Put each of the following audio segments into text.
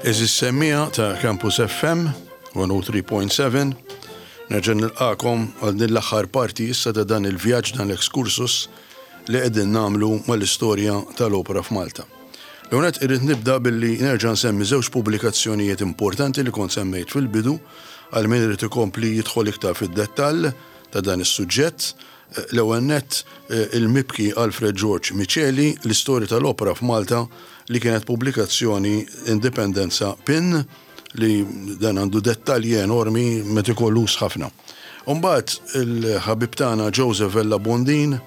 Eżis semmija ta' Campus FM 103.7 nerġa' nilqakom għal din l-aħħar parti issa ta' dan il-vjaġġ dan l-excursus li qegħdin nagħmlu mal-istorja tal-opra f'Malta. L-ewwel nett irrid nibda billi nerġa' nsemmi żewġ pubblikazzjonijiet importanti li kont semmejt fil-bidu għal min irid ikompli jidħol iktar fid-dettall ta' dan is-suġġett. L-ewwel nett il-mibki Alfred George Miceli, L-Istorja tal-Opra f'Malta li kienet pubblikazzjoni Indipendenza Pin li dan għandu dettalji enormi metikoluż ħafna. U mbagħad il-ħabib tagħna Joseph Vella Bondin,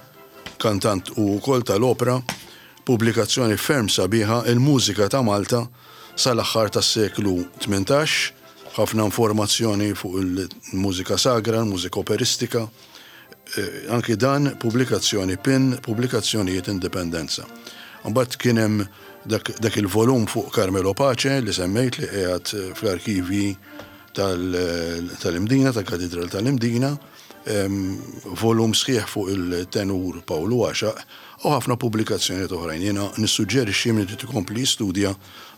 kantant u wkoll tal-opra, pubblikazzjoni ferm sabiħa Il-Mużika ta' Malta sal-aħħar tas-seklu 18, ħafna informazzjoni fuq il-mużika sagra, il-mużika operistika. Anki dan pubblikazzjoni pin, pubblikazzjonijiet Indipendenza. Mbagħad kien hemm dak, dak il-volum fuq Carmelo Pace li semmejt li qiegħed fl-arkivji tal-Imdina, tal-Katidral tal-Imdina, volum sħiħ fuq il-tenur Pawlu Għaxaq u ħafna pubblikazzjonijiet oħrajn. Jiena nissuġġerixxi min irid ikompli jistudja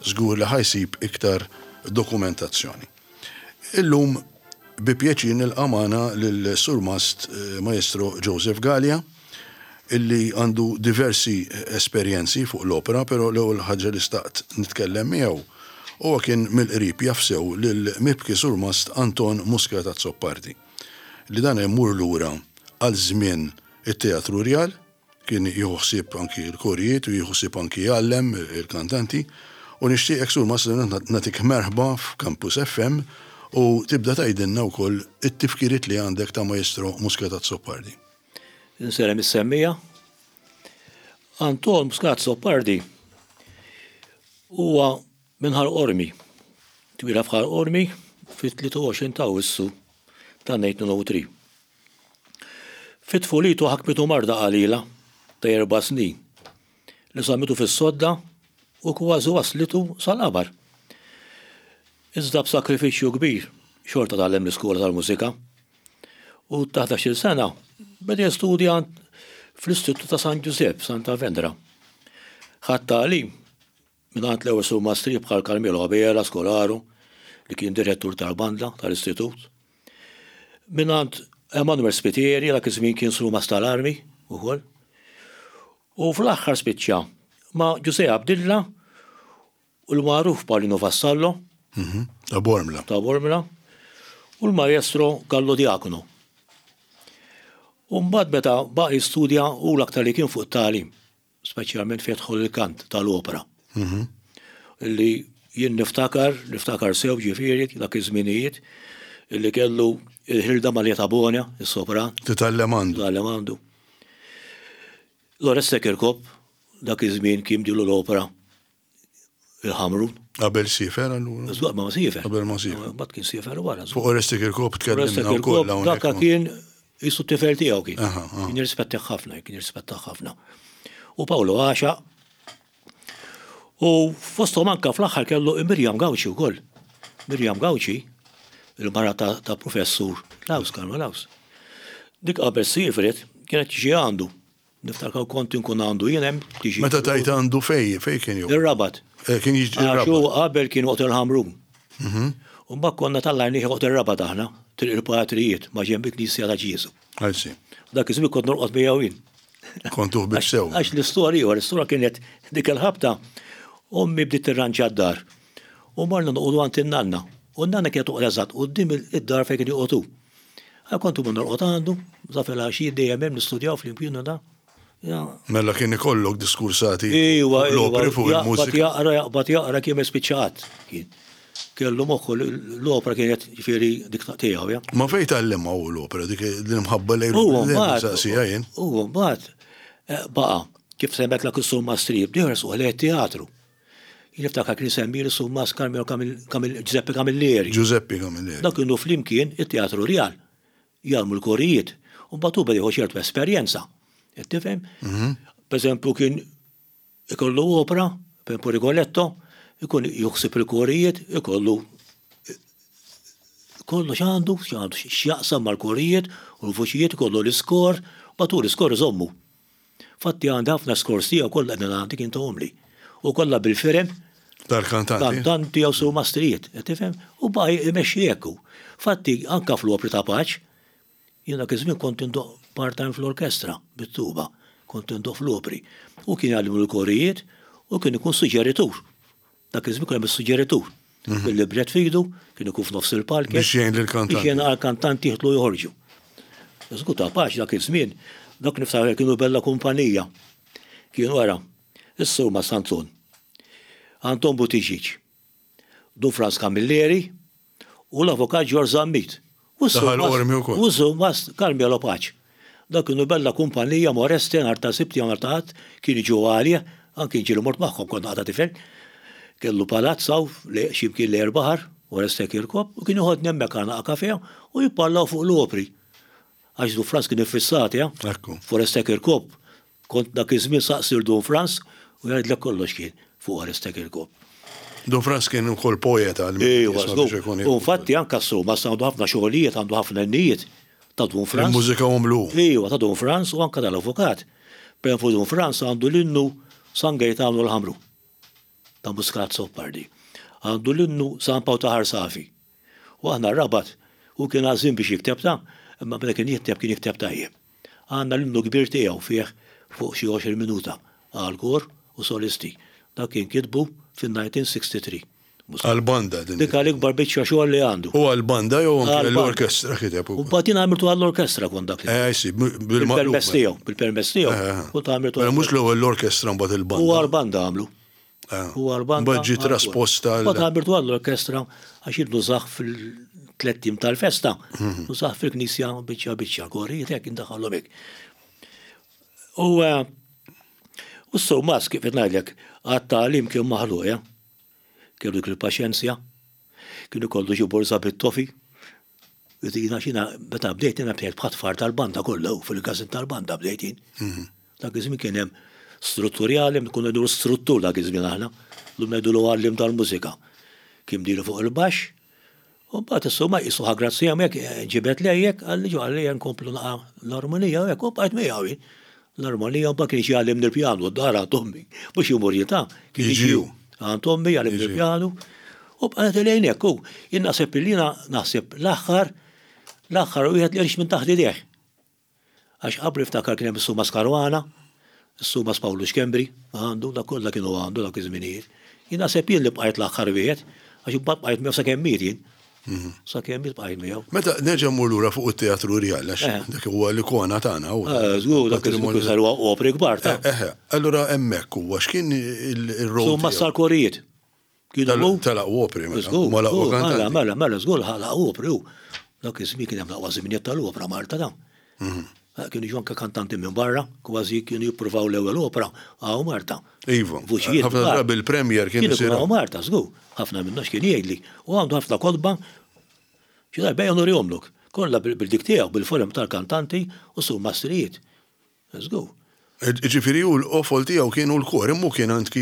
żgur li ħa jsib iktar dokumentazzjoni. Illum bi pjaċir nilqa' magħna lil Surmast Maestro Joseph Galea illi għandu diversi esperjenzi fuq l-opra, però l-ewwel ħaġa li staqt nitkellem miegħu huwa kien mill-qrib jaf sew lil mibki Surmast Anton Muscat Azzopardi li dan imur lura għal żmien it-Teatru Rjal. Kien jieħu ħsieb anki l-korijiet u jieħu ħsieb anki jgħallem il-kantanti. U nixtieqek Sur Massimo nagħtik merħba f'Campus FM u tibda tgħidilna wkoll it-tifkiriet li għandek ta' Maestro Muscat Azzopardi. Insellem is-semmiegħa. Anton Muscat Azzopardi huwa minn Ħal Qormi. Twieled f'Ħal Qormi fit-23 ta' Awwissu ta' 1903. Fi tfulitu ħakmitu marda qalila ta' erba' snin li żammitu fis-sodda u kważi wasslitu sal-qabar. Iżda b'sakrifiċċju kbir xorta tgħallem l-iskola tal-mużika u ta' ħdax-il sena beda jistudja fl-Istitut ta' San Ġużepp, Santa Vendra. Ħa t-tagħlim mingħand l-ewwel surmastri bħal Carmelo Abela Scolaro li kien direttur tal-banda tal-istitut, mingħand Emanuel Spitieri dak iż-żmien kien surmast tal-armi ukoll. U fl-aħħar spiċċa ma' Ġużè Abdilla u l-magħruf Paulino Vassallo. Mhm, ta' Bormla. Ta' Bormla. U l-maestro Gallo Diacono. U mbagħad meta baqa' jistudja u l-aktar li kien fuq it-tagħlim. speċjalment fejn jidħol il-kant tal-opra. Mhm. Illi jien niftakar, niftakar sew ġifieri dak iż-żminijiet illi kellu il-Hilda Maria Tabona, is-sopran. Titgħallem għandu. Titgħallem għandu. L-Oreste Kirkop, dak iż-żmien kien bdilu l-opra il-Ħamrun. Qabel siefer allura? Żgur ma siefer. Qabel ma siefer. Mbagħad kien siefer wara. Fuq Oresti Kirkop tkellimna wkoll hawnhekk. Dak kien jisu tifel tiegħu kien. Kien jirrispettah ħafna, kien jirrispettah ħafna. U Paolo Għaxa. U fosthom anka fl-aħħar kellu Mirjam Gawċi wkoll. Mirjam Gawċi, il-mara ta' professur Laus, Karma Laus. Dik qabel siefret kienet tiġi għandu. Niftakar kont inkun għandu jien hemm tiġi. Meta tgħid għandu fej, fej kien joqgħod? Ir-Rabat. Eh, kien jiġi ir-Rabat. Għax qabel kien joqgħod il-Ħamrun. Mhm. U mbagħad konna tallajnih joqgħod ir-Rabat aħna, triq il-Patrijiet, ma' ġenb il-Knisja ta' Ġieżu. I see. Dak iż-żmien kont norqod miegħu jien. Kontu ħbieb sew. Għax l-istorja, l-istorja kienet dik il-ħabta, ommi bdiet tirranġa d-dar. U morna noqogħdu għand in-nanna. U n-nanna kienet toqgħod eżatt quddiem id-dar fejn kien joqgħod hu. Għal kont imur norqod għandu, sa filgħaxija dejjem hemm nistudjaw flimkien u da. Mela kien ikollok diskursati Iwa, l-opri fuq il-mużika. Jaqra, jaqbad jaqra kien ma jispiċċa qatt. Kien. Kellu moħħu l-opra kienet ġifieri dik tiegħu, ja. Ma fejn tgħallimha hu l-opra dik l-imħabba lejn l-opra? Huwa mbagħad eh, baqa' kif semmetlek is-Summa Strib, dieħel suq lejn teatru. Jien niftakar kien isemmi l-Summas Carmelo Giuseppe Camilleri. Giuseppe Camilleri. Dak kienu flimkien it-Teatru Rjal. Jgħallmu l-korijiet. U mbagħad hu beda jieħu ċertu esperjenza. Qed tifhem? Mhm. Per eżempju kien ikollu opra, per eżempju Rigoletto, ikun juħsib il-korijiet, ikollu kollox għandu, x'għandu x'jaqsam mal-korijiet u l-vuċijiet ikollu l-iskor, mbagħad hu l-iskor iżommu. Fatti għandi ħafna skors tiegħu kollha qegħdin għandi kien tahomli. U kollha bil-firem. Tal-kantanti. Kantanti jew surmastrijiet, qed tifhem? U baqa' imexxi hekk hu. Fatti anke fl-opri ta' Paċ, jien dak iż-żmien kont indoqq part-time fl-orkestra bit-tuba, kont indoqq fl-opri. Hu kien jgħallimni l-korijiet u kien ikun suġġeritur. Dak iż-żmien kien hemm is-suġġeritur. Bil-libret f'idu, kien ikun f'nofs il-palk. Biex jgħin lill-kantanti. Biex jgħin għall-kantanti jidħlu joħorġu. Żgur ta' Paċ dak iż-żmien, dak niftakar kienu bella kumpanija. Kienu ara, is-Sur Mas Anton, Anton Buttigieg, Dun Frans Camilleri u l-Avukat Ġorġ Zammit. U s-Sur Mas Carmelo Paċ. Dawk kienu bella kumpanija Moreste nhar ta' Sibt jew nhar ta' Ħadd kienu jiġu għalih, anki jien ġieli mort magħhom kont għadha tifel. Kellu palazz hawn xi mkien lejn il-baħar, Oreste Kirkop, u kien joħodni hemmhekk għal naqa' kafè u jipparlaw fuq l-opri. Għax Dun Frans kien iffissat, eh? F'Oreste Kirkop Kont dak iż-żmien saqsi 'l Dun Frans u jgħidlek kollox kien fuq Oreste Kirkop. Dun Frans kien ukoll poeta għal min Ejwa, żgur. U infatti anke s-Sumas għandu ħafna xogħlijiet, għandu ħafna innijiet ta' Dun Frans. Immużikahom hu. Ejwa, ta' Dun Frans u anke tal-avukat. Pereżempju Dun Frans għandu l-innu San Gejtanu l-Ħamru ta' Muscat Azzopardi. Għandu l-innu San Pawl ta' Ħar Safi. U aħna r-Rabat, hu kien għażżien biex jikteb ta, imma meta kien jikteb kien jikteb tajjeb. Għandna l-innu kbir tiegħu fih fuq xi 20 minuta għal kor u solisti. Dak kien kitbu fin-1963. Għall-banda din. Dik l-ikbar biċċa xogħol li għandu. U għall-banda jew anke l-orkestra kiteb ukoll. U mbagħad jien għamiltu għall-orkestra kont dak. Eh, sì, bil-maqlub. Bil-permess tiegħu, bil-permess tiegħu. Kont għamiltu. Mela mhux l-ewwel l-orkestra mbagħad il-banda. U għall-banda għamlu. U għall-banda. Mbagħad ġie trasposta. Mbagħad għamiltu għall-orkestra għax jien nużah fil-tlett ijiem tal-festa. Nużah fil-knisja biċċa biċċa, korijiet hekk indaħħalhom hekk. U u s-Surmas kif qed ngħidlek għat-tagħlim kien maħluq, eh? Kellu dik il-paċenzja, kien ikollu xi borża bit-tofi. Jiena xina meta bdejt jiena bdejt bħat-tfar tal-banda kollha fil-każin tal-banda bdejt jien. Dak iż-żmien kien hemm strutturjali, konna ngħidulu struttur dak iż-żmien aħna, llum ngħidulu għalliem tal-mużika. Kien bdielu fuq il-baxx, u mbagħad insomma qisu ħa grazzja hemmhekk ġibed lejjek, qalli ġo qalli ejja nkomplu naqa' l-armonija u hekk u bqajt miegħu jien. L-armonija mbagħad kien jiġi jgħallimni l-pjanu d-dar għand ommi, mhux imur jien ta' kien jiġi hu għand ommi jgħallimni l-pjanu u bqajt lejn hekk u jien naħseb illi jiena naħseb l-aħħar l-aħħar wieħed li għex minn taħt idejh. Għax qabli niftakar kien hemm is-Sumas Caruana, is-Sumas Pawlu Schembri, għandu, dak kollha kienu għandu dak iż-żminijiet. Jien naħseb jien li bqajt l-aħħar wieħed, għax imbagħad bqajt miegħu sakemm miet jien. Sakemm miet bqajt miegħu. Meta nerġa' mmur lura fuq it-Teatru Rjal, għax dak huwa l-ikona tagħna. Żgur, dak iż-żmien saru opri kbar ta'. Eħe, allura hemmhekk huwa x'kien ir-rol? Sumas tal-korijiet. Kienu hu. Tal-aqwa opri, mela. Żgur, mela, mela, mela, żgur, l-aqwa opri hu. Dak iż-żmien kien hemm l-aqwa żminijiet tal-opra Malta ta. Mhm. Kienu jiġu anke kantanti minn barra, kważi kienu jippruvaw l-ewwel opra hawn Malta. Iva. Vuċijiet. Ħafna drabi il-premier kien isir. Hawn Malta, żgur. Ħafna minnhom x'kien jgħidli. U għandu ħafna kotba xi darba ejja nurihomlok. Kollha bil-dik tiegħu, bil-forum tal-kantanti u surmastrijiet. Żgur. Ġifieri hu l-qofol tiegħu kienu l-kor, imma hu kien anki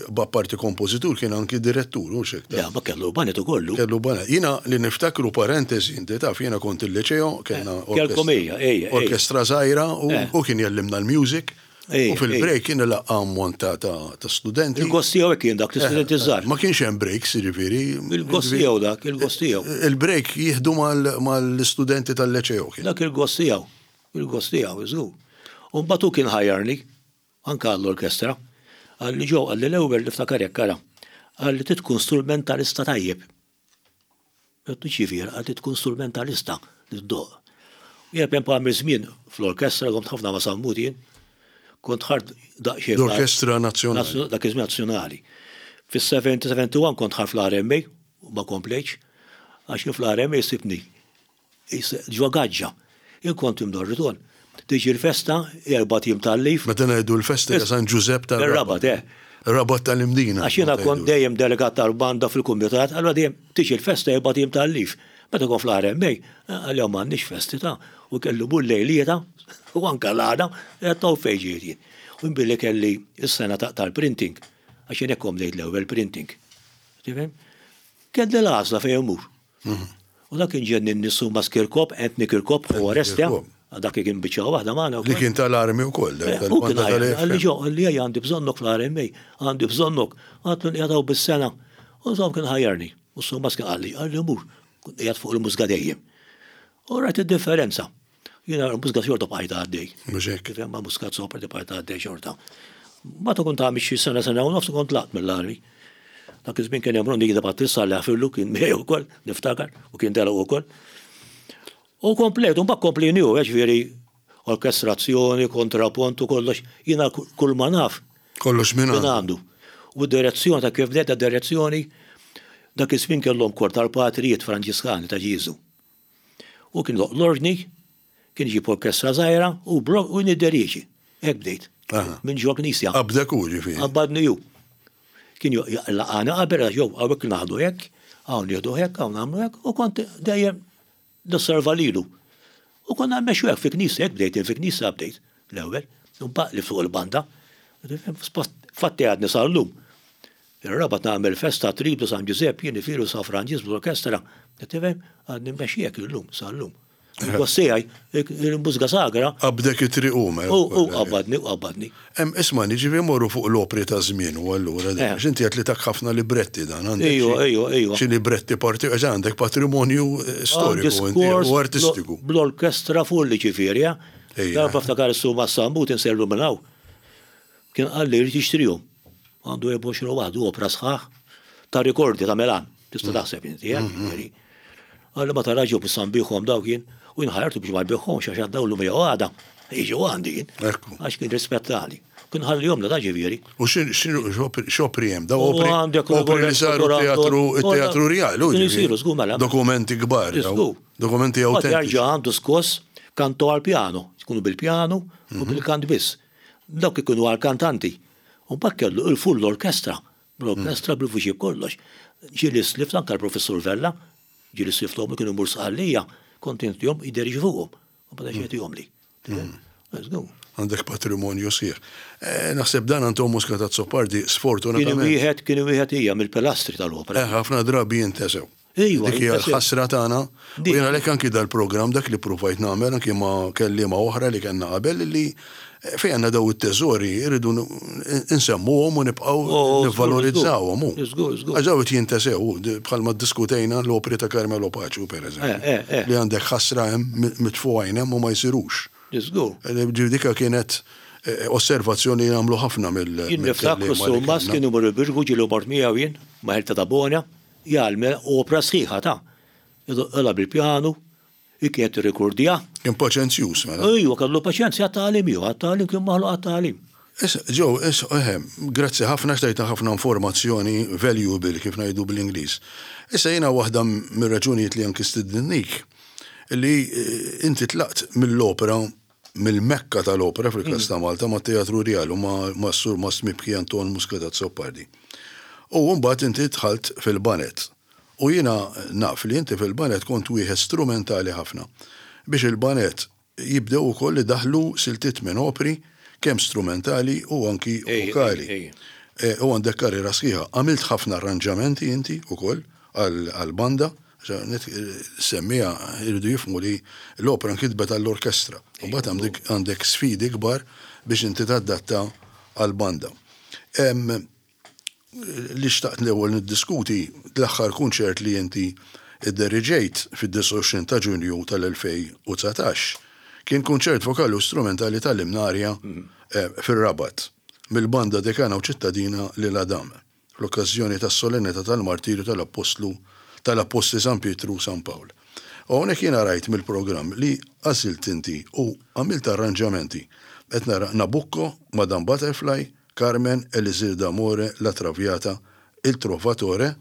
b'apparti kompożitur kien anki direttur, hux hekk? Le, ma kellu banet ukoll hu. Kellu banet. Jiena li niftakru parentesi, inti taf jiena kont il-Liċeo, kellna Kellkom ejja, ejja. Orkestra żgħira u kien jgħallimna l-music. U fil-break kien ilaqqa' ammont ta' studenti. Il-gost tiegħu hekk kien dak l-istudenti żgħar. Ma kienx hemm breaks, jiġifieri. Il-gost tiegħu dak, il-gost tiegħu. Il-break jieħdu mal-istudenti tal-Liċeo kien. Dak il-gost tiegħu. Il-gost tiegħu, żgur. U mbagħad hu kien ħajjarni, anke għall-orkestra. Qalli Joe, qalli l-ewwel niftakar hekk, ara, qalli trid tkun strumentalista tajjeb. Għedtlu x'jifieri, qalli trid tkun strumentalista li ddoqq. U jien pereżempju għamilt żmien fl-orkestra, domt ħafna ma' Sammut jien, kont ħart daqsxejn. L-Orkestra Nazzjonali. Dak iż-żmien Nazzjonali. Fis-70, 71 kont ħart fl-RMA u ma komplejtx, għax jien fl-RMA sibtni Ġo gaġġa. Jien kont imdorri tul. Tiġi l-festa, erbat ijiem tal-leave. Meta ngħidu l-festa hija San Ġużepp tar-Rabat. Ir-Rabat, eh. Rabat tal-Imdina. Għax jiena kont dejjem delegat tal-banda fil-kumitat, allura dejjem tiġi l-festa erbat ijiem tal-leave. Meta kont fl-RMA, għalihom m'għandniex festi ta' u kellu mur lejlieta u anke l-għada, għedt hawn fejn ġejt jien. U jien billi kelli s-sena tal-printing, għax jien hekk kont bdejt l-ewwel printing. Tifhem? Kelli l-għażla fejn immur. U dak kien ġenninni Sumas Kirkop, Anthony Kirkop, ħu Oreste. Dak li kien biċċa waħda magħna wkoll. Li kien tal-armi wkoll, dak tal-banda tal-AFM. Qalli ġo, qalli ejja għandi bżonnok fl-RMA, għandi bżonnok. Għadtlu nqiegħed hawn bis-sena. U insomma kien ħajjarni. U s-Surmast kien qalli, qalli mur, kont qiegħed fuq il-mużga dejjem. U rajt id-differenza. Jiena l-mużga xorta bqajt għaddej. Mhux hekk. Kif hemm mużga sopra bqajt għaddej xorta. Meta kont għamil xi sena sena u nofs kont tlaqt mill-armi. Dak iż-żmien kien hemm Ronnie Battista li ħafirlu kien miegħi wkoll, niftakar, u kien telaq ukoll. U komplejt, u mbagħad komplini hu, ġifieri orkestrazzjoni, kontrapont u kollox, jiena kull ma naf. Kollox minn għandu. U d-direzzjoni ta' kif bdejt direzzjoni, dak iż-żmien kellhom kor tal-patrijiet Franġiskani ta' Ġieżu. U kien doq l-ordni, kien iġib orkestra żgħira u blok u nidderieġi. Hekk bdejt. Minn ġo knisja. Qabdek hu ġifieri. Qabadni hu. Kien laqani qabel għax jew hawnhekk naħdu hekk, hawn nieħdu hekk, hawn nagħmlu hekk, u kont dejjem nosserva lilu. U konna mmexxu hekk fi knisja, hekk bdejt fi knisja bdejt l-ewwel, imbagħad li fuq il-banda. Fatti għadni sal-lum. Ir-Rabat nagħmel festa Triblu San Ġużepp jien ifiru San Franġisk bl-orkestra. Tifhem? Għadni mmexxi hekk illum sal-lum. Il-boss tiegħi, il-mużika sagra. Qabdek it-triq hu mela. U qabadni, u qabadni. Hemm isma' jiġifieri mmorru fuq l-opri ta' żmien u allura dan. Għax inti għedt li tak ħafna libretti dan għandek. Ejwa, ejwa, ejwa. Xi libretti parti għax għandek patrimonju storiku inti u artistiku. Bl-orkestra full jiġifieri, eh. Darba ftakar is-Sur Massambut insellu minn hawn. Kien qalli jrid jixtrihom. Għandu 24 waħdu opra sħaħ ta' rikordi ta' Milan. Tista' mm. taħseb inti, eh? Mm-hmm. Qalli ma tarax ġew issa nbiħhom dawk jien u jien ħajrtu biex ma nbiħhomx għax għaddaw l jew għada. Jiġu għandi jien. Għax kien rispettali. Kien ħallihom da ġifieri. U x'opri hemm? Daw opri opri li saru teatru teatru real. Kien isiru żgur mela. Dokumenti kbar. Dokumenti autentiċi. Jarġa' għandu skoss kanto għal piano, jkunu bil-pjanu u mhm. bil-kant biss. Dawk ikunu għall-kantanti. U mbagħad kellu il-full orchestra, bl-orkestra bil-vuċi b'kollox. Ġieli slift anke l-Professur Vella, ġieli slifthom kienu jmur Sqallija, kont intihom jideriġi fuqhom. U bada jagħtihomli. Għandek patrimonju sħiħ. Naħseb dan Anton Muscat Azzopardi sfortunatament. Kien wieħed kien wieħed hija mill-pilastri tal-opra. Ħafna drabi jintesew. Ejwa, Dik hija l-ħasra tagħna. U jien għalhekk anki dal-programm dak li ppruvajt nagħmel anki ma' kelliema oħra li kellna qabel li eh, fejn għandna daw it-teżori rridu nsemmuhom u nibqgħu oh, nivvalorizzawhom. Għax daw qed jintesew bħalma ddiskutejna l-opri ta' Carmelo Paċu pereżempju. Eh, eh, li għandek ħasra hemm mitfugħin hemm u ma jsirux. Żgur. Dika kienet osservazzjoni li għamlu ħafna mill. Jien niftakru s-Surmas kien imur il-Birgu ġieli mort miegħu jien ma' Ħelta ta' Bona. Jgħallem opra sħiħa ta'. Idoqqilha bil-pjanu, hi kienet tirrikordja. Kien paċenzjuż mela. Ejwa, kellu paċenzja għat-tagħlim hu, għat-tagħlim kien maħluq għat-tagħlim. Issa, Joe, issa, eħe, grazzi ħafna għax tajtna ħafna informazzjoni valuable kif ngħidu bl-Ingliż. Issa jiena waħda mir-raġunijiet li anki stidinnik li inti tlaqt mill-opra mill-Mekka tal-opra fil-każ ta' Malta mat-Teatru Rjal u mas-Surmast Mibki Anton Muscat Azzopardi. U mbagħad inti dħalt fil-baned. U jiena naf li inti fil-baned kont wieħed strumentali ħafna biex il-baned jibdew ukoll idaħħlu siltiet minn opri kemm strumentali u anki vokali. U għandek karriera sħiħa. Għamilt ħafna arranġamenti inti ukoll għall-banda. Semmiha jridu jifhmu li l-opra nkitbet għall-orkestra. U mbagħad għandek għandek sfidi kbar biex inti tadatta għall-banda. Li xtaqt l-ewwel niddiskuti l-aħħar kunċert li inti idderiġejt fid-29 ta' Ġunju tal-2019 kien kunċert vokali u strumentali tal-Imnarja fir-Rabat mill-Banda Dekana u Ċittadina Lil Adam. fl-okkażjoni tas-solennità tal-martirju tal-Appostlu tal-Appostli San Pietru u San Pawl. U hawnhekk jiena rajt mill-programm li għażilt inti u għamilt arranġamenti. Qed nara Nabucco, Madame Butterfly, Carmen, Elisir d'Amore, La Traviata, Il Trovatore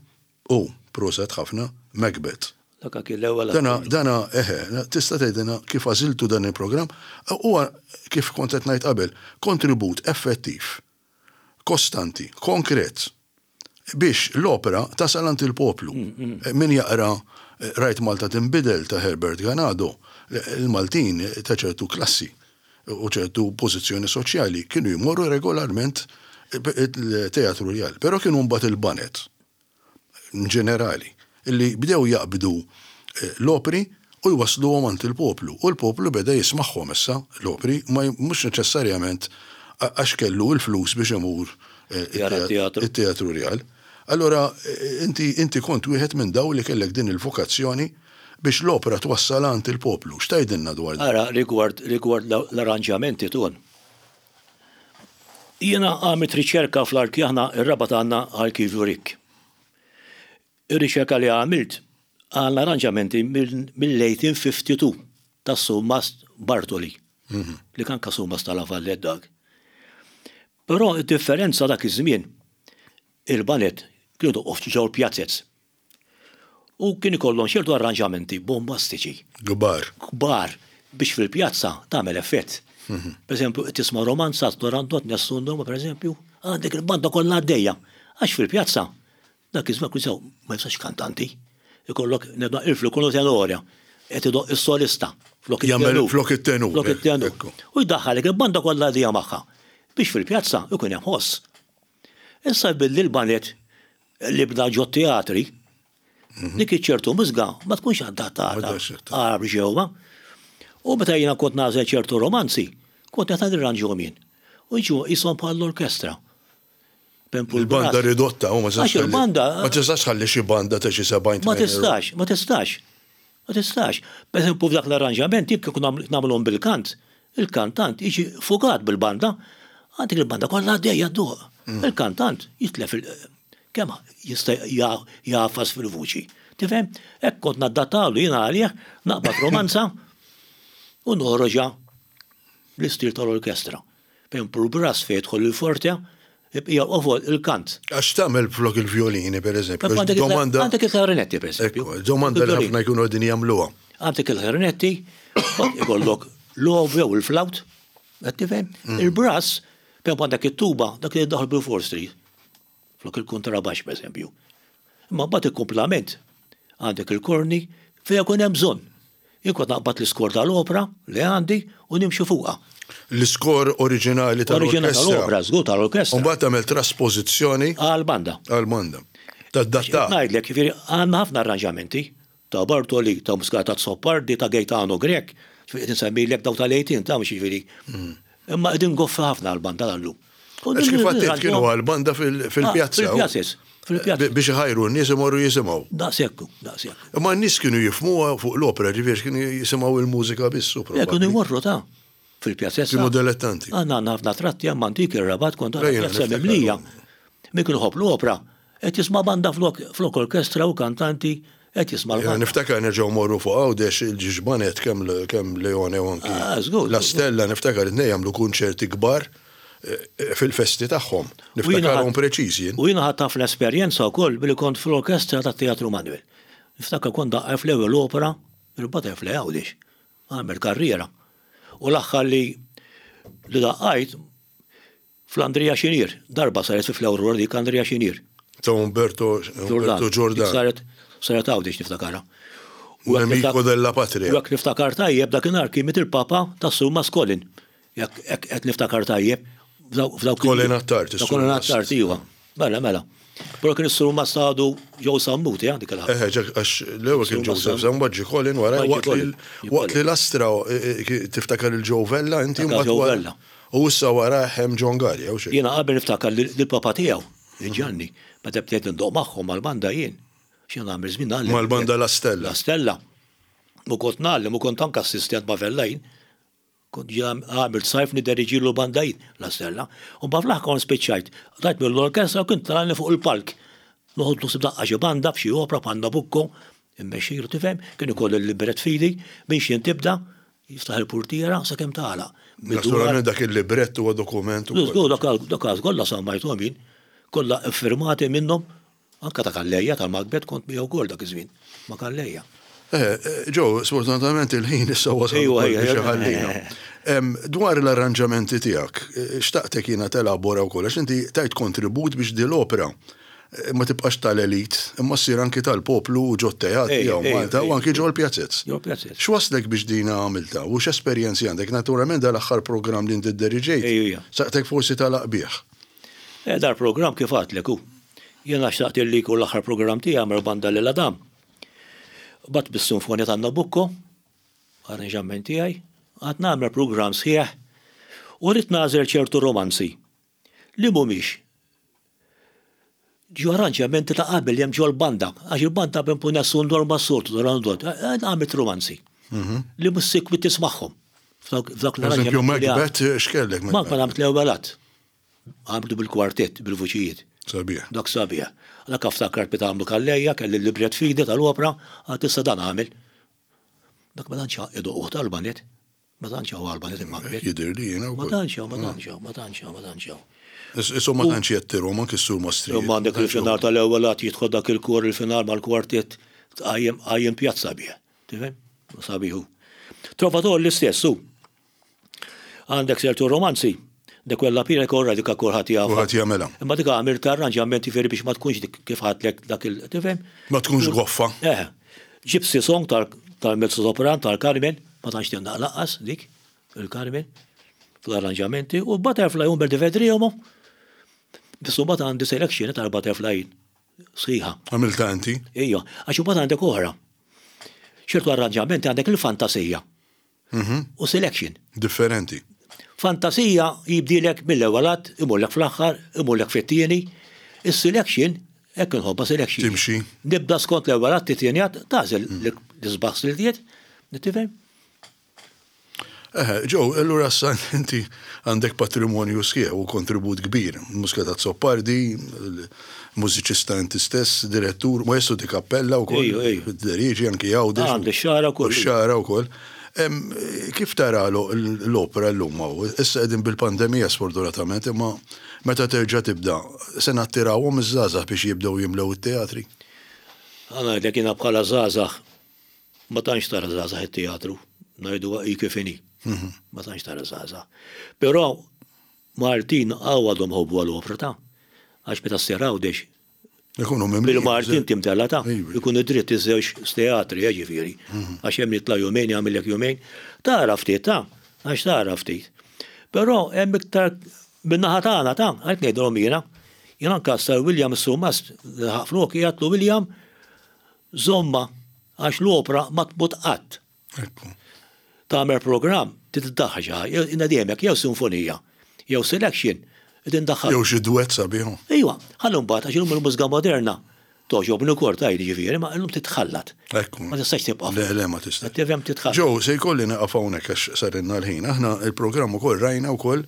u, proset ħafna, Macbeth. Dak kien l-ewwel Dana, dana, eħe, tista' tgħidilna kif għażiltu dan il-programm? Huwa, kif kont qed ngħid qabel, kontribut effettiv kostanti, konkret, biex l-opera tasal għand il-poplu. Min jaqra Rajt Malta Tinbidel ta' Herbert Ganado, il-Maltin ta' ċertu klassi u ċertu pożizzjoni soċjali kienu jmorru regolarment il-Teatru Rjal. Però kienu mbagħad il-baned ġenerali li bdew jaqbdu l-opri u jwassluhom għand il-poplu. U l-poplu beda jismagħhom issa l-opri, ma mhux neċessarjament għax kellu l-flus biex imur it-Teatru Rjal. Allura inti inti kont wieħed minn dawn li kellek din il-vokazzjoni biex l-opra twassal għand il-poplu. X'tgħidilna dwar dan? Ara, rigward rigward l-arranġamenti Ton. Jiena għamilt riċerka fl-arki aħna r-Rabat għandna arkivju rikk. Ir-riċerka li għamilt għandna arranġamenti mill-1852 tas-Surmast Bartoli, li kien anke Surmast ta' La Vallette dak. Però d-differenza dak iż-żmien il-baned kienu jdoqqu ftit ġewwa l-pjazez. U kien ikollhom ċertu arranġamenti bombastiċi. Kbar. Kbar biex fil-pjazza tagħmel effett. Per eżempju, tisma' romanza Torandot Nessun Dorma per eżempju, għandek il-banda kollha għaddejja. Għax fil-pjazza dak iż-żmien kun sew ma jistax kantanti. Ikollok nebda il-flukunu tenorja qed idoq is-solista flok it-tenur. Flok it-tenur. Flok it-tenur. U jdaħħalek il-banda kollha għaddejja magħha biex fil-pjazza ikun hemm ħoss. Issa billi l-baned li bda ġo teatri, mhm. dik iċ-ċertu mużga ma tkunx adattata għar ġewwa. U meta jiena kont nagħżel ċertu romanzi, kont qed nirranġhom jien. U ġu jisom bħal l-orkestra. Il-banda ridotta, u ma tistax. Il-banda. Ma tistax ħalli xi banda ta' xi 70. Ma tistax, ma tistax. Ma tistax. Per eżempju, f'dak l-arranġament, jekk nagħmluhom bil-kant, il-kantant jiġi fugat bil-banda, għandek il-banda kollha għaddejja dduq. Mm. Il-kantant jitlef il- kemm jista' jagħfas fil-vuċi. Tifhem? Hekk kont naddattalu jiena għalih naqbad romanza u noħroġha l-istil tal-orkestra. Fejn pur brass fejn jidħol il-forte, il-bqija l-qofol il-kant. Għax tagħmel flok il-vjolini pereżempju? Domanda. Għandek il-klarinetti pereżempju. Domanda li ħafna jkunu qegħdin jagħmluha. Għandek il-klarinetti, ikollok l-oboe u l-flawt, qed tifhem? Mm. Il-brass, per għandek it-tuba, dak li jiddaħħal bil-Four Street. Flok il-kuntrabaxx pereżempju. Imma mbagħad il-kumplament għandek il-korni fejn ikun hemm bżonn. Jien kont naqbad l-iskor tal-opra li għandi u nimxi fuqha. L-iskor oriġinali tal-orkestra. Oriġinali tal-opra, żgur tal-orkestra. U mbagħad tagħmel traspożizzjoni. Għall-banda. Għall-banda. Tadatta. Ngħidlek, jiġifieri għandna ħafna arranġamenti ta' Bartoli, ta' Muscat Azzopardi, ta' Gaetano Grech, qed insemmilek dawk tal-18 ta' mhux jiġifieri. Mm. Imma qegħdin goffi ħafna għall-banda tal-lum. Għax kif għattiet kienu għal-banda fil-pjazza. Fil-pjazzis. Fil-pjazza. Biex iħajru n-nies imorru jisimgħu. Daqshekk, daqshekk. Imma n-nies kienu jifhmuha fuq l-opera, ġifieri kienu jisimgħu il-mużika biss u probabbli. Kienu jmorru ta' fil-pjazzessa. Kienu dilettanti. Għandna għandna ħafna tratti hemm antiki r-Rabat kont tara pjazza mimlija. Min kien iħobb l-opera qed jisma' banda flok flok orkestra u kantanti qed jisma' l-banda. Niftakar nerġgħu mmorru fuq Għawdex il-ġiex baned kemm kemm Leone u anki ah, La Stella niftakar it-tnejn jagħmlu kunċerti kbar fil-festi tagħhom. Niftakarhom preċiż jien. U jiena ħadt ħafna esperjenza wkoll billi kont fl-orkestra tat-Teatru Manuel. Niftakar kont daqqar fl-ewwel opera il-Butterfly Għawdex. Għamel karriera. U l-aħħar li li daqqajt fl-Andrea Xinier, darba saret fi fl-Aurora dik Andrea Xinier. Ta' Umberto Umberto Ġordan. Saret saret Għawdex niftakarha. U Amico della Patria. U jekk niftakar tajjeb dakinhar kien miet il-Papa tas-Sur Mascolin. Jekk qed niftakar tajjeb, f'dawk. Colin Attard. Ta' Colin Attard, iva. Mela, mela. Però kien is-Sur Massadu Joe Sammut, eh, dik il-ħaġa. Eh, għax l-ewwel kien Joseph Sammut, ġie Colin wara, waqt li l-Astra eh, eh, tiftakar il-Joe Vella, inti mbagħad Joe Vella. U issa wara hemm John Galli, jew xi. Jiena qabel niftakar lill-papa tiegħu, Ġanni, meta bdejt ndoq magħhom mal-banda jien. Xi nagħmel żmien nagħlem. Mal-banda La Stella. La Stella. U kont nagħlem u kont anke assistent ma' Vella jien. Kont ġa għamilt sajf nideriġilu banda jien, La Stella. U mbagħad fl-aħħar kont spiċċajt. Qtajt mill-orkestra u kien tlagħni fuq il-palk. Noħodlu ħsieb daqqa xi banda f'xi opra bħal Nabucco, immexxilu tifhem, kien ikolli l-librett f'idi, minn x'jien tibda, jiftaħ il-purtiera sakemm tagħlaq. Naturalment dak il-librett huwa dokument ukoll. Żgur, dak kollha sammajthom jien, kollha ffirmati minnhom Anke ta' Calleja, tal-Macbeth kont miegħu wkoll dak iż-żmien, ma' Calleja. Eh, Joe, sfortunatament il-ħin issa wasal biex iħallina. Dwar l-arranġamenti tiegħek, eh, xtaqtek jiena telabora wkoll għax inti tajt kontribut biex di l-opera eh, ma tibqax tal-elit, imma ssir anki tal-poplu u ġo teatri jew Malta u anki ġo l-pjazzez. X'waslek biex dina għamilta u x'esperjenzi għandek? Naturalment dal-aħħar programm li inti dderiġejt, saqtek forsi tagħlaq bih. Eh, dal-programm kif għadtlek hu. Jiena xtaqt illi jkun l-aħħar programm tiegħi mal-banda Lil Adam. Bat bis-Sinfonja ta' Nabucco. Arranġament tiegħi, għad nagħmel programm sħiħ u rrid nagħżel ċertu romanzi li mhumiex ġo arranġamenti ta' qabel li hemm ġol-banda, għax il-banda b'empun nessun dorma s-soltu, dorandot, għamilt romanzi mhm. li mhux sikwit tismagħhom. F'dawk l-arranġamenti. Macbeth x'kellek? Macbeth għamilt l-ewwel att. Għamiltu bil-kwartett, bil-vuċijiet. Sabiħ. Dak sabiħ. Dak aftakar meta għamlu Calleja, kelli l-libret f'idi tal-opra, għad issa dan għamel. Dak ma tantx idoqquh tal-baned. Ma tantx hawn għall-baned il-Macbeth. Jidhirli jiena wkoll. Ma tantx hawn, ma tantx hawn, ma tantx hawn, ma tantx hawn. Isu ma tantx jettirhom anki s-sur Mastriet. Imma għandek il-final tal-ewwel att jidħol dak il-kor il-final mal-kwartett tqajjem qajjem pjazza bih. Tifhem? Sabiħ hu. Trovatore l-istess hu. Għandek ċertu romanzi, de quella pira korra dik kulħadd jafha. Kulħadd jagħmilha. Imma dik għamilt arranġament jiġifieri biex ma tkunx dik kif ħadlek dak il tifhem? Ma tkunx goffa. Eh. Gypsy song tal-mezzo sopran tal-Carmen, ma tantx tindaq lanqas dik il-Carmen fl-arranġamenti u Butterfly Umber di Vedriomo. Biss imbagħad għandi selection tal-Butterfly sħiħa. Għamiltha inti? Ejja, għax imbagħad għandek oħra. Ċertu arranġamenti għandek il-fantasija. U selection. Differenti. Fantasija jibdilek mill-ewwel att, imurlek fl-aħħar, imurlek fit-tieni. Is-selection, hekk inħobbha selection. Timxi. Nibda skont l-ewwel att, it-tieni att, tagħżel l-isbaħ siltiet, tifhem? Eħe, Joe, allura issa inti għandek patrimonju sħiħ u kontribut kbir. Muscat Azzopardi, mużiċista inti stess, direttur, maestro di cappella wkoll. Ejju, ejju. Dirieġi anki Għawdex. Għandi x-xagħra wkoll. X-xagħra wkoll. Kif tara l-opera llum hawn? Issa qegħdin bil-pandemija sfortunatament, imma meta terġa' tibda, se nattirawhom iż-żgħażagħ biex jibdew jimlew it-teatri? Ħa ngħidlek jiena bħala żgħażagħ ma tantx tara żgħażagħ it-teatru, ngħiduha hi kif inhi. Ma tantx tara żgħażagħ. Però Maltin hawn għadhom ħobbu għal-opra ta' għax meta ssir Għawdex Ikunu mimlijin. Bil-Maltin timtela ta' ikun id-dritt iż-żewġ teatri, eh, ġifieri. Mhm. Għax hemm jitla' jumejn jagħmillek jumejn. Tara ftit ta' għax tara ftit. Però hemm iktar min-naħa tagħna ta' għalhekk ngħidilhom jiena. Jien anke Sir William Sumas laħaq floki għedtlu William żommha għax l-opra ma tmut qatt. Ekku. Tagħmel programm, trid iddaħħal xi ħaġa, jiena dejjem hekk jew sinfonija, jew selection, irid indaħħal. Jew xi duett sabiħ. Ejwa, ħalli mbagħad għax illum il-mużika moderna togħġobni wkoll tgħid jiġifieri, ma illum titħallat. Ekku. Ma tistax tibqa'. Le, le, ma tistax. Qed tifhem titħallat. Joe, se jkolli nieqaf hawnhekk għax sarilna l-ħin. Aħna il-programm ukoll rajna wkoll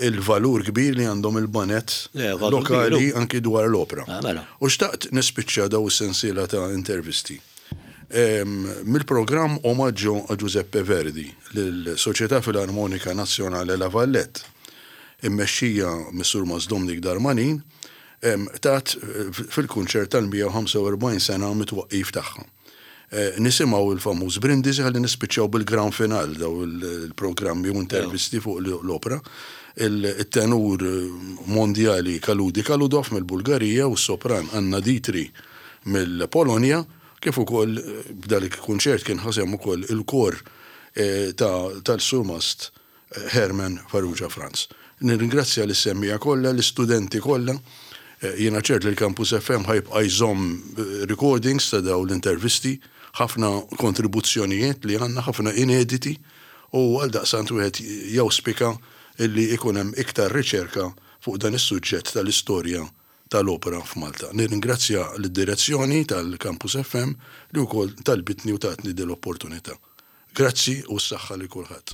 il-valur kbir li għandhom il-baned lokali anki dwar l-opra. Ah, mela. U xtaqt nispiċċa daw is-sensiela ta' intervisti. Mill-programm Omaggio a Giuseppe Verdi lill-Società Filarmonica Nazionale La Vallette, immexxija mis-Surmast Dominic Darmanin, tat fil-kunċert tal-145 sena mit-twaqqif tagħha. Nisimgħu l-famuż Brindisi ħalli nispiċċaw bil-gran final daw il-programmi u intervisti fuq l-opra. Il-tenur mondjali Kaludi Kaludov mill-Bulgarija u s-sopran Anna Ditri mill-Polonja, kif ukoll f'dan il-kunċert kien ħa sehem ukoll il-kor tal-Surmast Herman Farrugia Franz. Nirringrazzja lis-semmiegħa kollha, l-istudenti kollha. Jiena ċert li l-Campus FM ħa jibqa' jżomm recordings ta' dawn l-intervisti, ħafna kontribuzzjonijiet li għandna, ħafna inediti u għaldaqstant wieħed jawspika illi ikun hemm iktar riċerka fuq dan is-suġġett tal-istorja tal-opera f'Malta. Nirringrazzja lid-direzzjoni tal-Campus FM li wkoll talbitni u tatni din l-opportunità. Grazzi u s-saħħa lil kulħadd.